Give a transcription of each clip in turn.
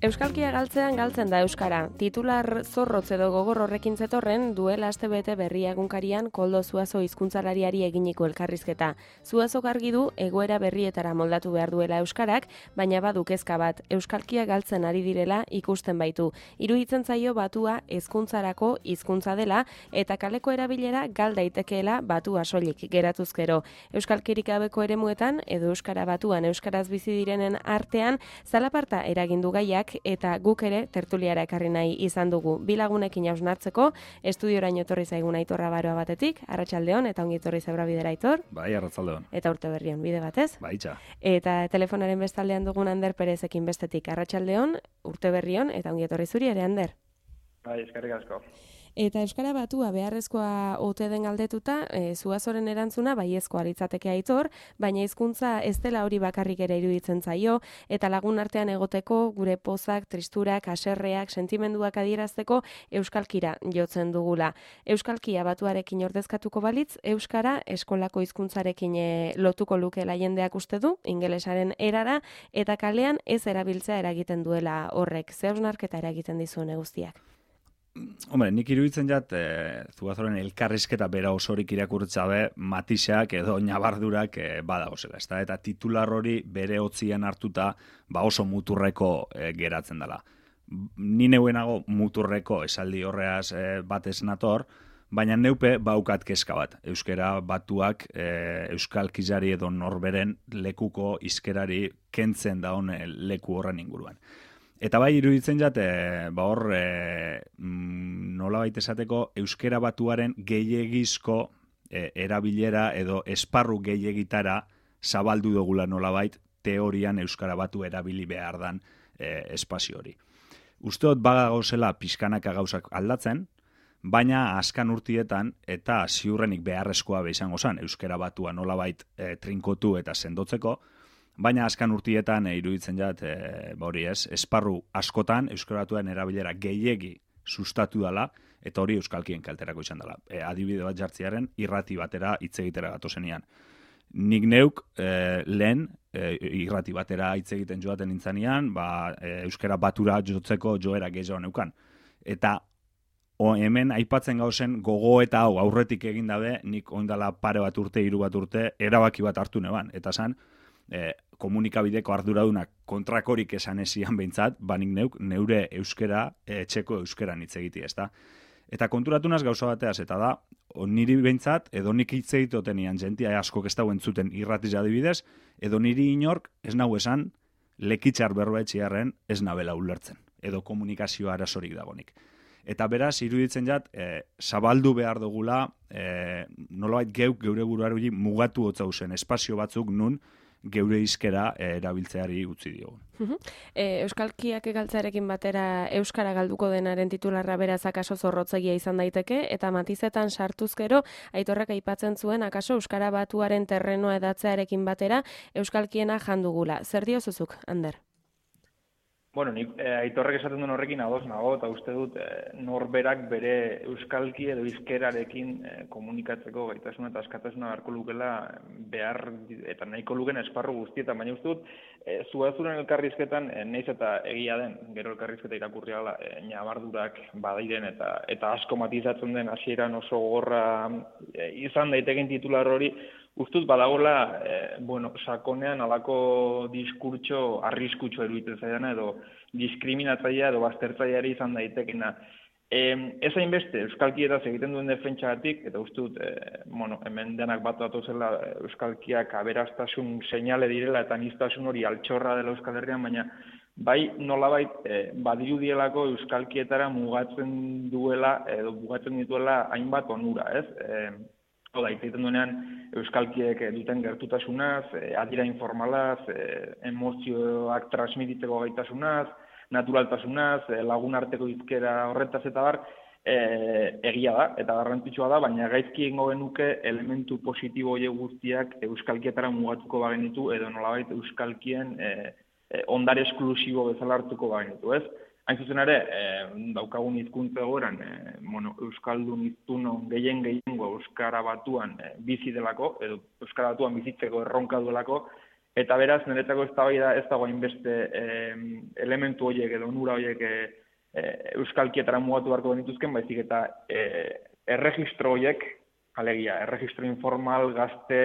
Euskalkia galtzean galtzen da euskara. Titular zorrotz edo gogor horrekin zetorren duela astebete Berria egunkarian Koldo Zuazo hizkuntzalariari eginiko elkarrizketa. Zuazok argi du egoera berrietara moldatu behar duela euskarak, baina badu kezka bat, euskalkia galtzen ari direla ikusten baitu. Iruditzen zaio batua hezkuntzarako hizkuntza dela eta kaleko erabilera gal daitekeela batua soilik geratuzkero. Euskalkirik gabeko eremuetan edo euskara batuan euskaraz bizi direnen artean zalaparta eragindu gaiak eta guk ere tertuliara ekarri nahi izan dugu. Bi lagunekin hausnartzeko, estudioraino etorri zaigun Aitor Rabaroa batetik, arratsaldeon eta ongi etorri Zebrabidera Aitor. Bai, arratsaldeon. Eta urte berrion bide batez. Bai, txa. Eta telefonaren bestaldean dugun Ander Perezekin bestetik, arratsaldeon, urte berrion eta ongi etorri zuri ere, Ander. Bai, eskerrik asko. Eta euskara batua beharrezkoa ote den galdetuta, Zuazoren erantzuna baiezkoa litzateke Aitor, baina hizkuntza ez dela hori bakarrik ere iruditzen zaio, eta lagun artean egoteko gure pozak, tristurak, haserreak, sentimenduak adierazteko euskalkira jotzen dugula. Euskalkia batuarekin ordezkatuko balitz, euskara eskolako hizkuntzarekin lotuko lukeela jendeak uste du, ingelesaren erara, eta kalean ez erabiltzea eragiten duela horrek. Ze hausnarketa eragiten dizuen guztiak? Hombre, nik iruditzen jat, Zuazoren elkarrizketa bera osorik irakurtzabe matiseak edo nabardurak badagozela. Eta titular hori bere hotzian hartuta oso muturreko geratzen dela. Ni neuenago muturreko esaldi horreaz batez nator, baina neupe baukat kezka bat. Euskara batuak euskalkizari edo norberen lekuko hizkerari kentzen daun leku horren inguruan. Eta bai iruditzen jat, nolabait esateko euskera batuaren gehiegizko erabilera edo esparru gehiegitara zabaldu dugula nolabait teorian euskara batu erabili behar dan espazio hori. Usteot bagagozela pixkanaka gauzak aldatzen, baina azkan urtietan eta ziurrenik beharrezkoa izango zen euskara batua nolabait trinkotu eta sendotzeko, baina azkan urtietan iruditzen jat, esparru askotan euskaratuaren erabilera gehiegi sustatu dela, eta hori euskalkien kalterako izan dela. Adibide bat jartziaren irrati batera hitz egitera gatozenean. Nik neuk lehen irrati batera hitz egiten joaten nintzanean, euskara batura jotzeko joera gehiago neukan. Eta hemen aipatzen gauzen gogo eta hau aurretik egin dabe, nik oindala pare bat urte, 3 bat urte, erabaki bat hartu neban. Eta zan, komunikabideko arduradunak kontrakorik esan ezian behintzat, banik neure euskera, etxeko euskeran hitz egiti, ezta? Eta konturatunaz gauza bateaz, eta da, niri behintzat, edo nik hitz egitotenian jentia askok ez dauen zuten irratiz adibidez, edo niri inork ez nahu esan lekitxar berroetxiarren ez nabela ulertzen, edo komunikazio arazorik dagonik. Eta beraz, iruditzen jat, zabaldu behar dugula, nolabait geure buruari mugatu hotzauzen espazio batzuk nun, geure hizkera erabiltzeari utzi diogun. Euskalkiak galtzearekin batera euskara galduko denaren titularra beraz akaso zorrotzegia izan daiteke, eta matizetan sartuzkero Aitorrek aipatzen zuen akaso euskara batuaren terrenoa edatzearekin batera euskalkiena jandugula. Zer diozuzuk, Ander? Bueno, nik Aitorrek esaten duen horrekin ados nago, eta uste dut norberak bere euskalki edo hizkerarekin komunikatzeko gaitasuna eta askatasuna beharko lukela behar eta nahiko luken esparru guztietan, baina uste dut Zuazoren elkarrizketan naiz eta egia den, gero elkarrizketa irakurri gala nabardurak badairen eta asko matizatzen den hasieran oso gogorra izan daiteken titular hori, ustuz badagola, sakonean alako diskurtso arriskutsua iruditzen zaidana edo diskriminatzailea edo baztertzaileari izan daitekena. Ez hainbeste euskalkietaz egiten duen defentsagatik, eta uste dut, hemen denak bat datozela euskalkiak aberastasun seinale direla eta aniztasun hori altxorra dela Euskal Herrian, baina bai nolabait badirudielako euskalkietara mugatzen duela edo mugatzen dituela hainbat onura, ez? Oda, egiten duenean euskalkiek duten gertutasunaz, adira informalaz, emozioak transmititzeko gaitasunaz, naturaltasunaz, lagun arteko hizkera horretaz eta bar, egia da, eta garrantzitsua da, baina gaizki egingo genuke elementu positibo horiek guztiak euskalkietara mugatuko bagenitu, edo nolabait euskalkien ondare esklusibo bezala hartuko bagenitu, ez? Hain zuzen ere, daukagun hizkuntza egoeran, euskaldun hiztunon gehiengo euskara batuan bizi delako, edo euskara batuan bizitzeko erronka duelako, Eta beraz, niretzako eztabaida ez dago hainbeste elementu horiek edo onura horiek euskalkietara mugatu beharko genituzken, baizik eta erregistro horiek, alegia, erregistro informal, gazte,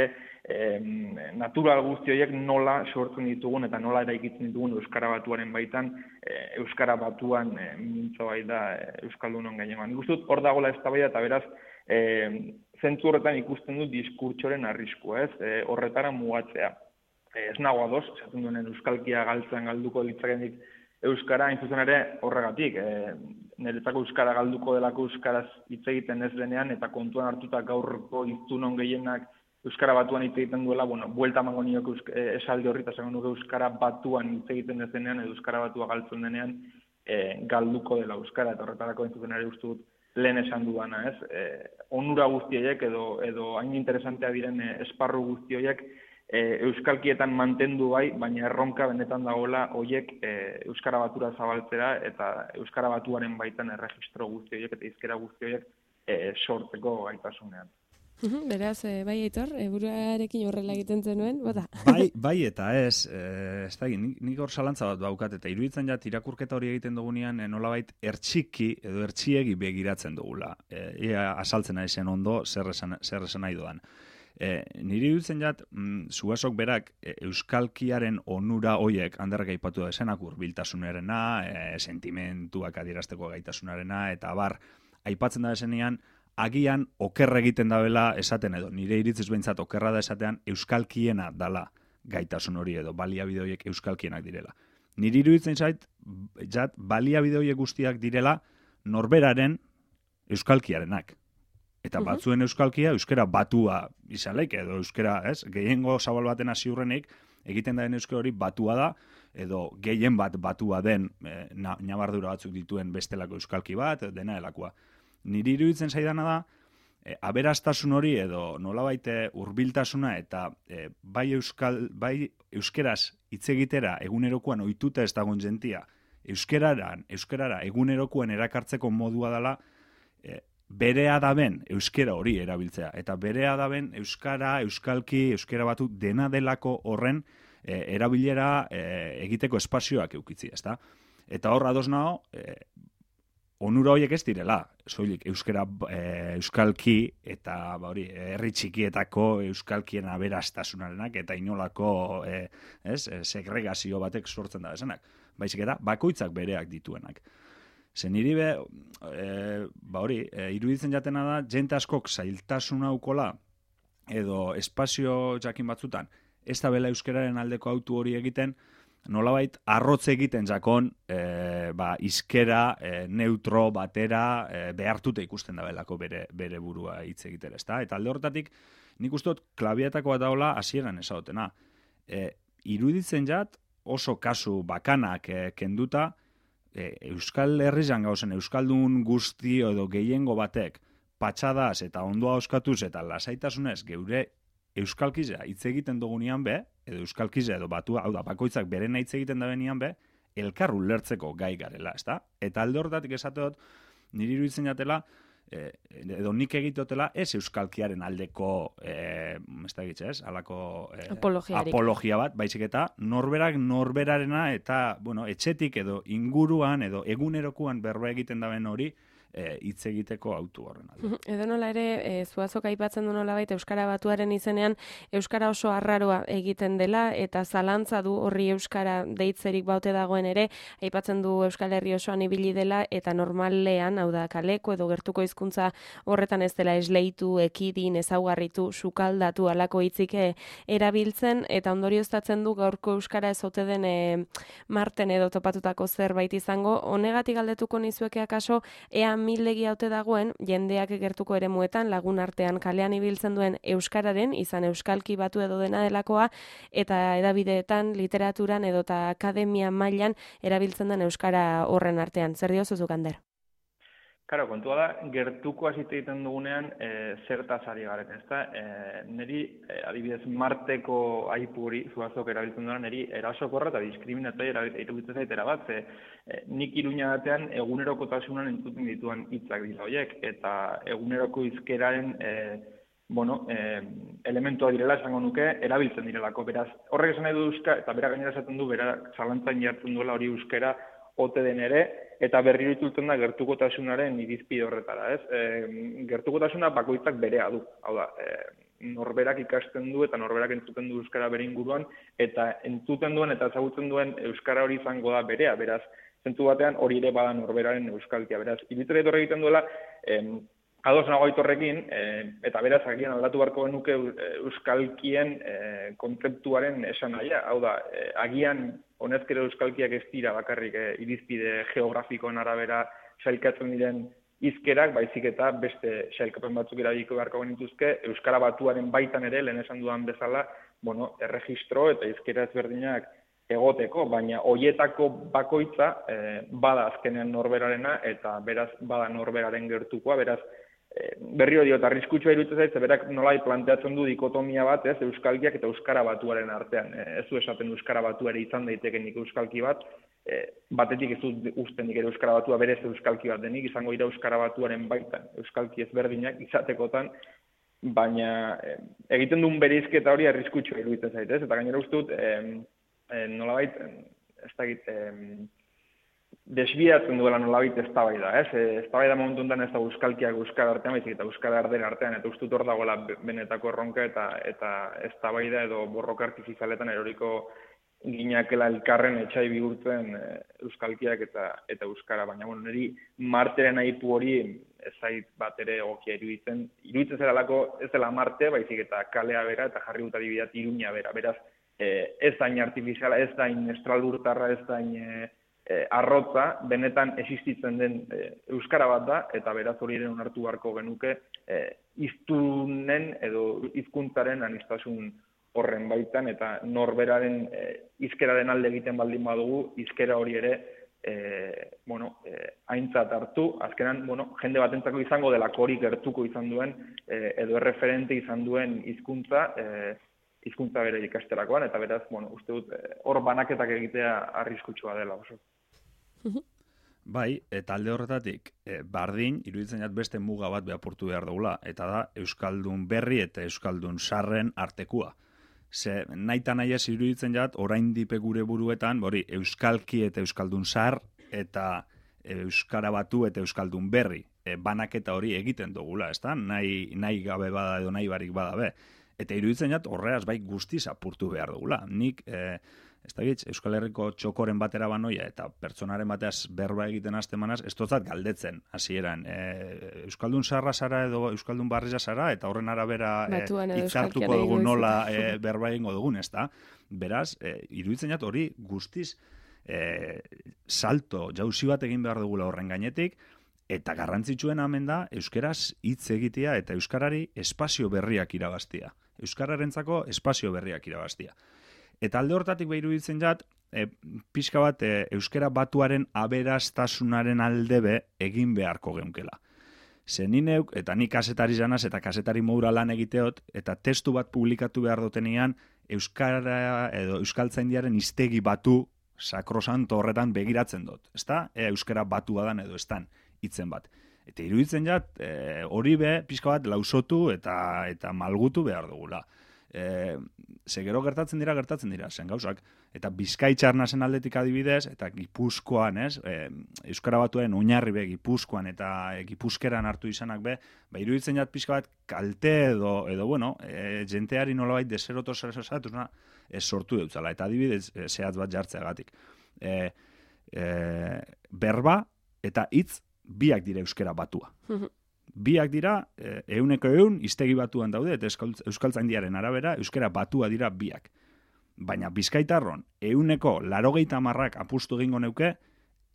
natural guzti horiek nola sortzen ditugun eta nola eraikitzen ditugun Euskara Batuaren baitan, Euskara Batuan mintzo bai da Euskaldunon gainean. Nik uste dut hor dagoela eztabaida eta beraz, zentzu horretan ikusten dut diskurtsoren arriskua, horretara mugatzea. Ez nago ados, esaten duen euskalkia galduko litzakenik euskara, hain zuzen ere horregatik. Niretzako euskara galduko delako euskaraz hitz egiten ez denean, eta kontuan hartuta gaurko hiztunon gehienak Euskara Batuan hitz egiten duela, buelta emango nioke esaldi horri, eta esango nuke Euskara Batuan hitz egiten ez denean, edo Euskara Batua galtzen denean, galduko dela euskara, eta horretarako hain zuzen ere uste dut lehen esan dudana, ez? Onura guztiek edo hain interesantea diren esparru guztiek euskalkietan mantendu bai, baina erronka benetan dagoela hoiek Euskara Batura zabaltzera eta Euskara Batuaren baitan erregistro guzti horiek eta hizkera guzti horiek sortzeko gaitasunean. Beraz, bai, Aitor, buruarekin horrela egiten zenuen, bota? Bai eta ez da, nik hor zalantza bat daukat, eta iruditzen jat irakurketa hori egiten dugunean nolabait ertxiki edo ertxiegi begiratzen dugula. Ia asaltzen ari zen ondo zer esan nahi doan. Niri dutzen jat, Zuasok berak euskalkiaren onura hoiek, handerrak aipatu da esenak hurbiltasunarena, sentimentuak adierazteko gaitasunarena, eta bar, aipatzen da esenean, agian oker egiten dabela esaten edo, nire iritziz behintzat okerra da esatean euskalkiena dala gaitasun hori edo baliabide horiek euskalkienak direla. Nire iruditzen zait, baliabide horiek guztiak direla norberaren euskalkiarenak. Eta batzuen euskalkia, euskara batua izan leik, edo euskara, gehiengo zabal baten ziurrenik, egiten den euskara hori batua da, edo gehien bat batua den nabardura batzuk dituen bestelako euskalki bat, dena elakoa. Niri iruditzen zaidana da, aberastasun hori edo nolabait hurbiltasuna eta bai euskeraz hitz egitera egunerokoan ohituta ez dagoen jentia, euskerara egunerokoan erakartzeko modua dela, berea daben euskera hori erabiltzea. Eta berea daben euskara, euskalki, euskera Batu dena delako horren erabilera egiteko espazioak eukitzi, ezta? Eta hor ados nago, onura horiek ez direla, soilik euskera euskalki eta herri txikietako euskalkien aberastasunarenak eta inolako segregazio batek sortzen da bezanak. Baizik eta bakoitzak bereak dituenak. Zen niri iruditzen jatena da, jente askok zailtasun haukola edo espazio jakin batzutan, ez da bela euskeraren aldeko autu hori egiten, nolabait arrotz egiten jakon izkera neutro batera behartuta ikusten da belako bere burua hitz egitera, ezta? Eta alde horretatik, nik uste dut klabiatako bat daola hasieran esagotena. Iruditzen jat oso kasu bakanak kenduta, Euskal Herrian gauzen Euskaldun guzti edo gehiengo batek patxadaz eta ondoa oskatuz eta lasaitasunez geure euskalkizea hitz egiten dugunean edo euskalkizea edo batua, hau da, bakoitzak berena hitz egiten da benian elkar ulertzeko gai garela, ezta? Eta alde horretatik esateot, niri iruditzen jatela, edo nik egitotela ez euskalkiaren aldeko halako apologia bat, baizik eta norberarena eta etxetik edo inguruan edo egunerokuan berba egiten daben hori hitz egiteko autu horren alde. Edo nola ere, Zuazok aipatzen du nolabait Euskara Batuaren izenean Euskara oso arraroa egiten dela eta zalantza du horri Euskara deitzerik baute dagoen ere, aipatzen du Euskal Herri osoan ibili dela eta normalean, hau da, kaleko edo gertuko hizkuntza horretan ez dela esleitu, ekidin, ezaugarritu, sukaldatu alako hitzik erabiltzen eta ondorioztatzen du gaurko Euskara ez ote den marten edo topatutako zerbait izango. Honegatik galdetuko nizueke akaso, ea mildegi haute dagoen, jendeak gertuko eremuetan, lagun artean kalean ibiltzen duen euskararen, izan euskalki batu edo dena delakoa, eta edabideetan, literaturan edota akademia mailan erabiltzen den euskara horren artean. Zer diozuzuk, Ander? Karo, kontua da, gertuko hasite egiten dugunean zertaz ari garen, ezta? Neri, adibidez, marteko aipu hori, Zuazok erabiltzen duena, neri erasokorra eta diskriminatzaile iruditzen zaitera bat, nik Iruña batean egunerokotasunan entzuten dituan hitzak dira horiek, eta eguneroko hizkeraren elementua direla esango nuke, erabiltzen direlako. Beraz, horrek esan nahi du eta bera gainera esaten du, bera zalantzan jartzen duela hori euskara ote den ere, eta berriro itzultzen da gertukotasunaren irizpide horretara, ez? Gertukotasuna bakoitzak berea du, hau da, norberak ikasten du eta norberak entzuten du euskara bere inguruan, eta entzuten duen eta ezagutzen duen euskara hori izango da berea, beraz, zentzu batean hori ere bada norberaren euskalkia, beraz, iruditzen etorre egiten duela, ados nago Aitorrekin, eta beraz, agian aldatu beharko genuke euskalkien kontzeptuaren esan nahia, hau da, agian honezkero euskalkiak ez dira bakarrik irizpide geografikoen arabera sailkatzen diren hizkerak, baizik eta beste sailkapen batzuk erabiliko beharko genituzke, euskara batuaren baitan ere, lehen esan dudan bezala, erregistro eta hizkera ezberdinak egoteko, baina hoietako bakoitza bada azkenean norberarena eta beraz bada norberaren gertukoa, beraz berriro diot, arriskutsua iruditzen zait, berak nolai planteatzen du dikotomia bat, ez, euskalkiak eta euskara batuaren artean. Ez du esaten euskara batuare izan daitekenik euskalki bat, batetik ez dut ustenik ere euskara batua berez euskalki bat denik, izango dira euskara batuaren baitan, euskalki ezberdinak izatekotan, baina egiten duen bereizketa hori arriskutsua iruditzen zait, ez? Eta gainera uste dut, nolabait, ez dakit, desbiatzen duela nolabait eztabaida, ez? Eztabaida momentu honetan ez da euskalkiak euskara artean, baizik eta euskara ardera artean, eta uste dut hor dagoela benetako erronka eta eztabaida edo borroka artifizialetan eroriko ginakela elkarren etxai bihurtzen euskalkiak eta euskara, baina niri marteren aipu hori ez zait bat ere egokia iruditzen zeralako ez dela Marte, baizik eta kalea bera eta jarri dut adibideat Iruña bera, beraz ez dain artifiziala, ez dain estralurtarra, ez dain arrotza, benetan existitzen den euskara bat da, eta beraz hori ere onartu beharko genuke hiztunen edo hizkuntzaren aniztasun horren baitan, eta norberaren hizkeraren alde egiten baldin badugu, hizkera hori ere aintzat hartu, azkenan, jende batentzako izango delako hori gertuko izan duen, edo erreferente izan duen hizkuntza bere ikasterakoan, eta beraz, uste dut, hor banaketak egitea arriskutsua dela oso. Bai, eta alde horretatik, bardin, iruditzen jat beste muga bat behapurtu behar dugula, eta da Euskaldun berri eta Euskaldun sarren artekua. Ze nahi ez iruditzen jat, orain dipe gure buruetan, Euskalki eta Euskaldun sar, eta Euskara batu eta Euskaldun berri, banaketa hori egiten dugula, ezta? Nahi gabe bada edo nahi barik bada be. Eta iruditzen jat, horreaz bai guztiz apurtu behar dugula. Nik, ez da gitz, Euskal Herriko txokoren batera banoia eta pertsonaren bateaz berba egiten hastemanaz, ez totzat galdetzen, hasieran. Euskaldun sarra zara edo Euskaldun barriza zara, eta horren arabera hitzartuko dugu nola berba egingo dugun, ez da? Beraz, iruditzen jat hori guztiz salto, jauzi bat egin behar dugula horren gainetik, eta garrantzitsuen hemen da, euskeraz hitz egitea eta euskarari espazio berriak irabaztia. Euskararentzako espazio berriak irabaztia. Eta alde hortatik behiru ditzen jat, pixka bat euskara batuaren aberastasunaren aldebe egin beharko geunkela. Zenineuk, eta ni kasetari zanaz eta kasetari modura lan egiteot, eta testu bat publikatu behar dutenian, euskara edo euskaltzaindiaren hiztegi batu sakrosanto horretan begiratzen dut. Ezta? Euskara batu badan edo estan hitzen bat. Eta iruditzen jat, hori be, pixka bat lausotu eta malgutu behar dugula. Ze gero gertatzen dira, zen gauzak. Eta Bizkaitxarnasen aldetik adibidez, eta Gipuzkoan, Euskara Batuen oinarri be, Gipuzkoan eta Gipuzkeran hartu izanak be, iruditzen jat pixka bat kalte edo jenteari nolabait deseroto zerezatuz sortu deutzala. Eta adibidez, zehatz bat jartzeagatik. Berba eta hitz biak dira euskara batua. Biak dira, 100% hiztegi batuan daude, eta euskaltzaindiaren arabera, euskara batua dira biak. Baina Bizkaitarron, 80% apustu egingo neuke,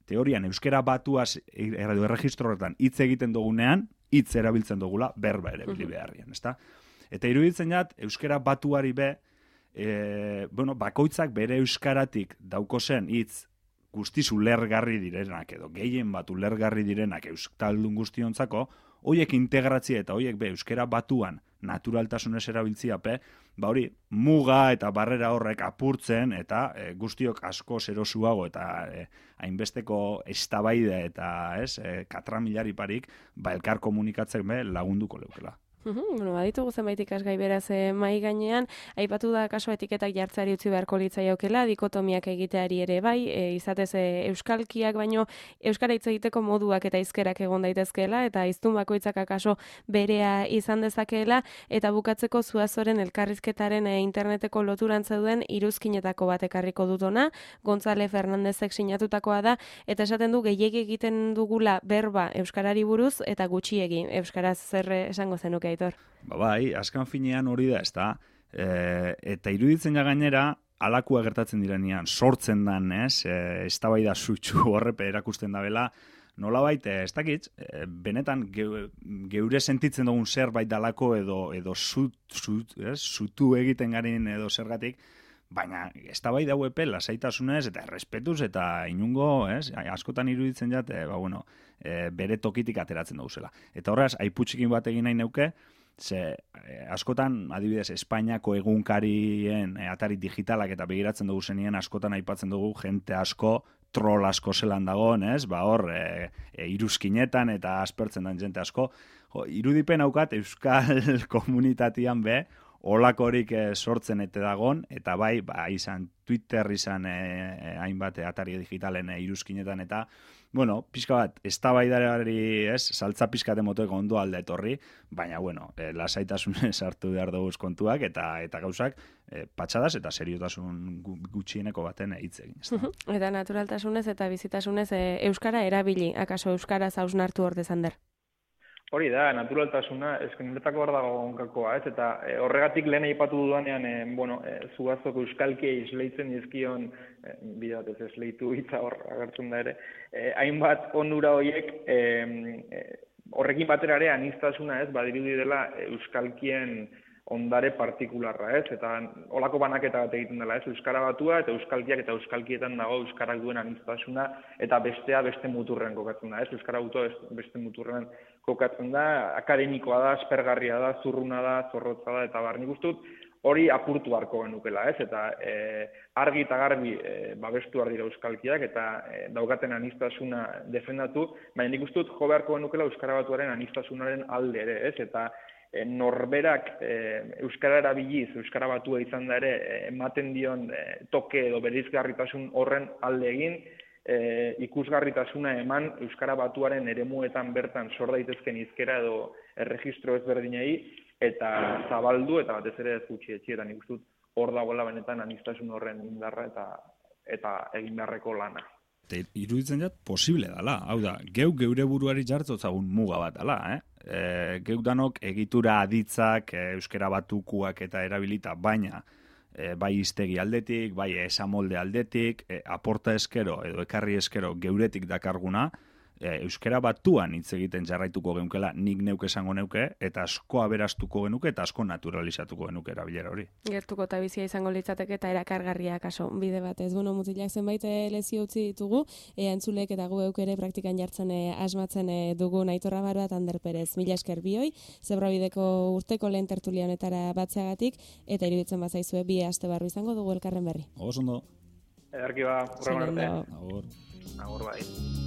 teorian euskara batuaz erregistro horretan hitz egiten dugunean, hitz erabiltzen dugula berba ere bili beharrian, ezta? Eta iruditzen jat, euskara batuari be, bakoitzak bere euskaratik dauko zen hitz guztiz ulergarri direnak edo gehien bat ulergarri direnak euskaldun guztiontzako, hoiek integratzia eta hoiek be euskara batuan naturaltasunez erabiltziape, hori muga eta barrera horrek apurtzen eta guztiok asko zerosuago eta hainbesteko eztabaida eta katramilari parik elkar komunikatzek be lagunduko leukela. Bueno, baditugu zenbait ikasgai beraz mai gainean, aipatu da kaso etiketak jartzeari utzi beharko litzaiokela, dikotomiak egiteari ere bai, izatez euskalkiak baino euskara hitz egiteko moduak eta hizkerak egon daitezkeela eta hiztun bakoitzak akaso berea izan dezakeela eta bukatzeko Zuazoren elkarrizketaren interneteko loturan zeuden iruzkinetako bat ekarriko dut hona, Gonzale Fernandezek sinatutakoa da eta esaten du gehiegi egiten dugula berba euskarari buruz eta gutxiegi euskaraz zer esango zenuke Aitor? Bai, azkan finean hori da, ezta? Eta iruditzen ja gainera, alakua gertatzen direnean, sortzen dan, eztabaida sutsu horrepe erakusten da bela, nolabait, ez dakit, benetan geure sentitzen dugun zerbait dalako edo zutu egiten garen edo zergatik, baina eztabaida hauepe lasaitasunez eta errespetuz eta inungo, askotan iruditzen jat, bere tokitik ateratzen dauzela. Eta horraz, aiputxikin bat egin nahi neuke, ze askotan, adibidez, Espainiako egunkarien atari digitalak eta begiratzen dugu zenien, askotan aipatzen dugu jente asko, troll asko zelan dagoen, iruzkinetan eta aspertzen den jente asko. Irudipen haukat Euskal komunitatian olakorik sortzen ete dagon, eta bai, izan Twitter, izan hainbat atari digitalen iruzkinetan, eta, pixka bat, eztabaidari, saltza pixkate motoeko ondo alde etorri, baina, lasaitasunez hartu behar dugu kontuak, eta gauzak, patxadas eta seriotasun gutxieneko baten hitz egin. Eta naturaltasunez eta bizitasunez euskara erabili, akaso euskaraz hausnartu ordezan der? Hori da, naturaltasuna, niretako hor dago onkakoa, eta horregatik lehen aipatu dudanean, Zuazoko euskalki esleitzen dizkion, bide batez esleitu hitza hor agertzen da ere, hainbat onura horiek, horrekin batera ere aniztasuna badirudi dela euskalkien ondare partikularra, eta olako banaketa bat egiten dela, euskara batua eta euskalkiak eta euskalkietan dago euskarak duen aniztasuna eta bestea beste muturrean kokatzen da, euskara batua beste muturrean kokatzen da, akademikoa da, aspergarria da, zurruna da, zorrotza da, eta nik uste dut hori apurtu harko genukela, eta argi eta garbi babestu behar dira euskalkiak eta daukaten aniztasuna defendatu, baina nik uste dut jo beharko genukela euskara batuaren anistasunaren alde ere, eta norberak euskara erabiliz, euskara batua izan da ere, ematen dion toke edo bereizgarritasun horren alde egin, ikusgarritasuna eman euskara batuaren eremuetan bertan sor daitezken hizkera edo erregistro ezberdinei eta zabaldu eta batez ere ez gutxi etxietan ikustut hor dagoela benetan anistasun horren indarra eta egin beharreko lana. Iruditzen jat posible dela, hau da, geure buruari jartzotzagun muga bat dela, geuk danok egitura aditzak, euskara batukuak eta erabilita, baina bai hiztegi aldetik, bai esamolde aldetik, aporta eskero edo ekarri eskero geuretik dakarguna, euskara batuan hitz egiten jarraituko genukeela nik neuke esango neuke, eta asko aberastuko genuke eta asko naturalizatuko genuke erabilera hori. Gertuko eta bizia izango litzateke eta erakargarria kaso bide batez. Mutilak zenbait lezio utzi ditugu, entzulek eta gu euk ere praktikan jartzen asmatzen dugu Aitor Rabaro eta Ander Perez. Mila esker bioi, Zebrabideko urteko lehen tertulia honetara batzeagatik, eta iruditzen bazaizue bi aste barru izango dugu elkarren berri. Oso ondo. Ederki ba, urrengo arte. Agur. Agur bai.